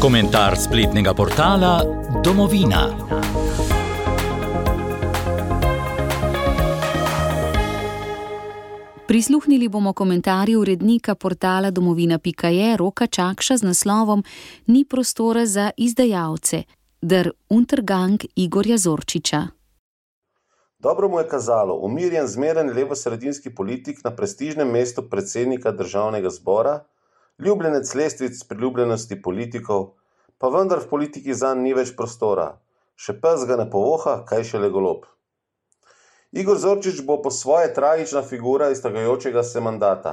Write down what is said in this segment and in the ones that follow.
Komentar spletnega portala Domovina. Prisluhnili bomo komentarju urednika portala domovina.je Roka Čakša z naslovom Ni prostora za izdajalce, der Untergang Igorja Zorčiča. Dobro mu je kazalo umirjen, zmeren levosredinski politik na prestižnem mestu predsednika državnega zbora, ljubljenec lestvic priljubljenosti politikov, pa vendar v politiki zanj ni več prostora. Še pes ga ne povoha, kaj šele golob. Igor Zorčič bo po svoje tragična figura iztegajočega se mandata.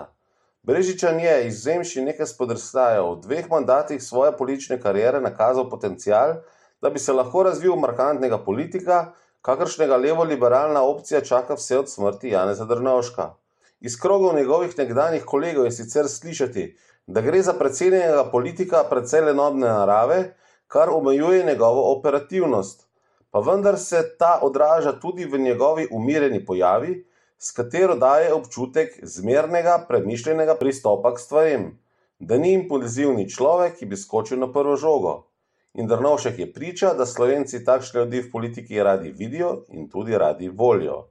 Brežičan je, izvzemši nekaj spodrsljajev, v 2 mandatih svoje politične kariere nakazal potencial, da bi se lahko razvil markantnega politika, kakršnega levo-liberalna opcija čaka vse od smrti Janeza Drnovška. Iz krogov njegovih nekdanjih kolegov je sicer slišati, da gre za precenjenega politika precej lenobne narave, kar omejuje njegovo operativnost. Pa vendar se ta odraža tudi v njegovi umirjeni pojavi, s katero daje občutek zmernega, premišljenega pristopa k stvarem, da ni impulzivni človek, ki bi skočil na prvo žogo. In Drnovšek je priča, da Slovenci takšne ljudi v politiki radi vidijo in tudi radi volijo.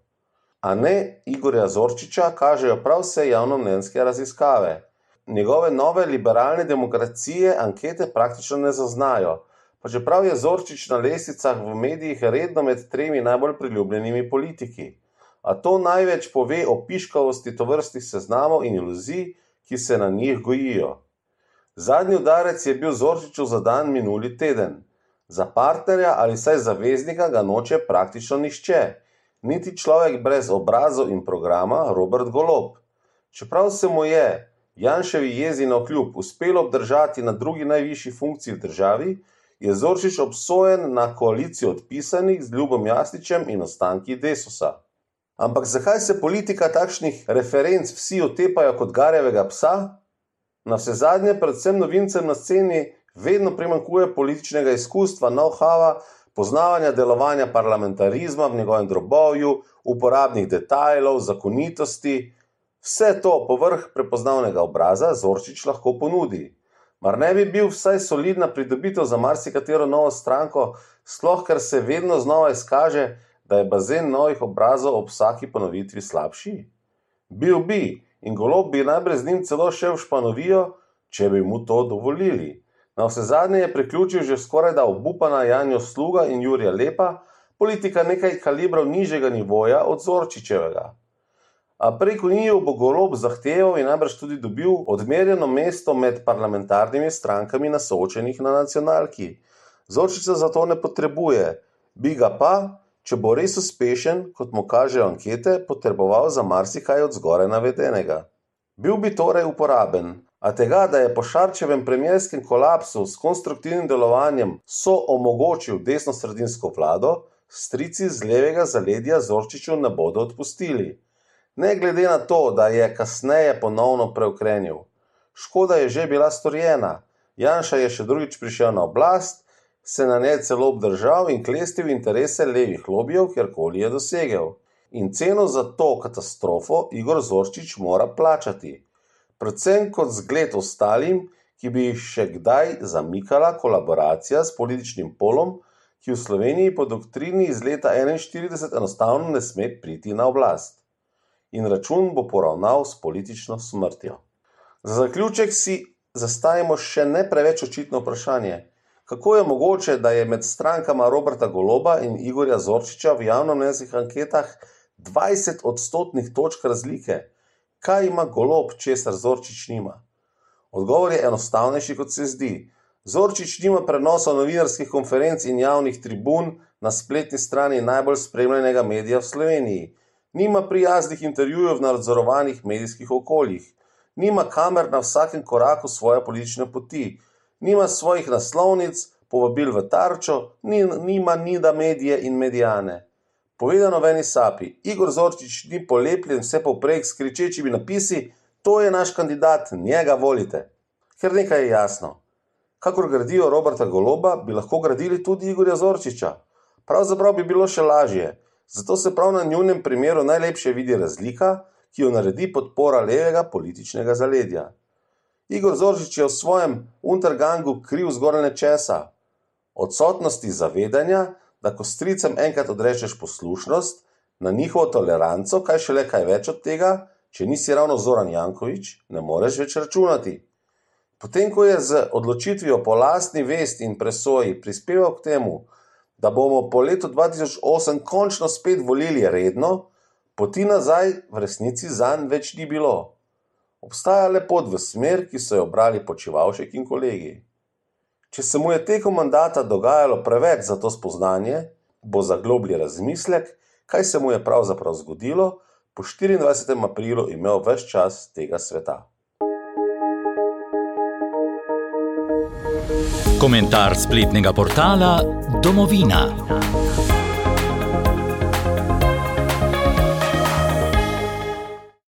A ne Igorja Zorčiča kažejo prav vse javnomnenjske raziskave. Njegove nove liberalne demokracije ankete praktično ne zaznajo, pa čeprav je Zorčič na lestvicah v medijih redno med 3 najbolj priljubljenimi politiki. A to največ pove o piškavosti tovrstnih seznamov in iluzij, ki se na njih gojijo. Zadnji udarec je bil Zorčiču zadan minuli teden. Za partnerja ali vsaj zaveznika ga noče praktično nihče, niti človek brez obrazov in programa Robert Golob. Čeprav se mu je, Janševi jezi navkljub, uspelo obdržati na drugi najvišji funkciji v državi, je Zorčič obsojen na koalicijo odpisanih z Ljubom Jasničem in ostanki Desusa. Ampak zakaj se politika takšnih referenc vsi otepajo kot garjevega psa? Navsezadnje predvsem novincem na sceni vedno primanjkuje političnega izkustva, know-howa, poznavanja delovanja parlamentarizma v njegovem drobovju, uporabnih detajlov, zakonitosti. Vse to povrh prepoznavnega obraza Zorčič lahko ponudi. Mar ne bi bil vsaj solidna pridobitev za marsikatero novo stranko, sploh ker se vedno znova izkaže, da je bazen novih obrazov ob vsaki ponovitvi slabši? Bil bi. In Golob bi najbrž z njim celo šel v Španovijo, če bi mu to dovolili. Navsezadnje je priključil že skorajda obupana Janjo Sluga in Jurija Lepa, politika nekaj kalibrov nižjega nivoja od Zorčičevega. A preko njiju bo Golob zahteval in najbrž tudi dobil odmerjeno mesto med parlamentarnimi strankami na soočenjih na nacionalki. Zorčiča zato ne potrebuje, bi ga pa, če bo res uspešen, kot mu kažejo ankete, potreboval za marsikaj od zgoraj navedenega. Bil bi torej uporaben, a tega, da je po Šarčevem premierskem kolapsu s konstruktivnim delovanjem omogočil desnosredinsko vlado, strici z levega zaledja Zorčiču ne bodo odpustili. Ne glede na to, da je kasneje ponovno preukrenil. Škoda je že bila storjena. Janša je še drugič prišel na oblast, se na njej celo obdržal in klestil interese levih lobijev, kjerkoli je dosegel. In ceno za to katastrofo Igor Zorčič mora plačati. Predvsem kot zgled ostalim, ki bi jih še kdaj zamikala kolaboracija s političnim polom, ki v Sloveniji po doktrini iz leta 1941 enostavno ne sme priti na oblast. In račun bo poravnal s politično smrtjo. Za zaključek si zastavimo še ne preveč očitno vprašanje. Kako je mogoče, da je med strankama Roberta Goloba in Igorja Zorčiča v javnomnenjskih anketah 20 odstotnih točk razlike? Kaj ima Golob, česar Zorčič nima? Odgovor je enostavnejši, kot se zdi. Zorčič nima prenosa novinarskih konferenc in javnih tribun na spletni strani najbolj spremljenega medija v Sloveniji. Nima prijaznih intervjujev v nadzorovanih medijskih okoljih. Nima kamer na vsakem koraku svoje politične poti. Nima svojih naslovnic, povabil v Tarčo, nima Nida medije in medijane. Povedano v eni sapi, Igor Zorčič ni polepljen vse povprek s kričečimi napisi, to je naš kandidat, njega volite. Ker nekaj je jasno. Kakor gradijo Roberta Goloba, bi lahko gradili tudi Igorja Zorčiča. Pravzaprav bi bilo še lažje, zato se prav na njunem primeru najlepše vidi razlika, ki jo naredi podpora levega političnega zaledja. Igor Zorčič je v svojem Untergangu kriv zgoraj nečesa. Odsotnosti zavedanja, da ko stricem enkrat odrečeš poslušnost, na njihovo toleranco, kaj šele kaj več od tega, če nisi ravno Zoran Janković, ne moreš več računati. Potem, ko je z odločitvijo po lastni vesti in presoji prispeval k temu, da bomo po letu 2008 končno spet volili redno, poti nazaj v resnici zanj več ni bilo. Obstaja le pot v smer, ki so jo obrali Počivalšek in kolegi. Če se mu je tekom mandata dogajalo preveč za to spoznanje, bo za globlji razmislek, kaj se mu je pravzaprav zgodilo, po 24. aprilu imel ves čas tega sveta. Komentar spletnega portala Domovina.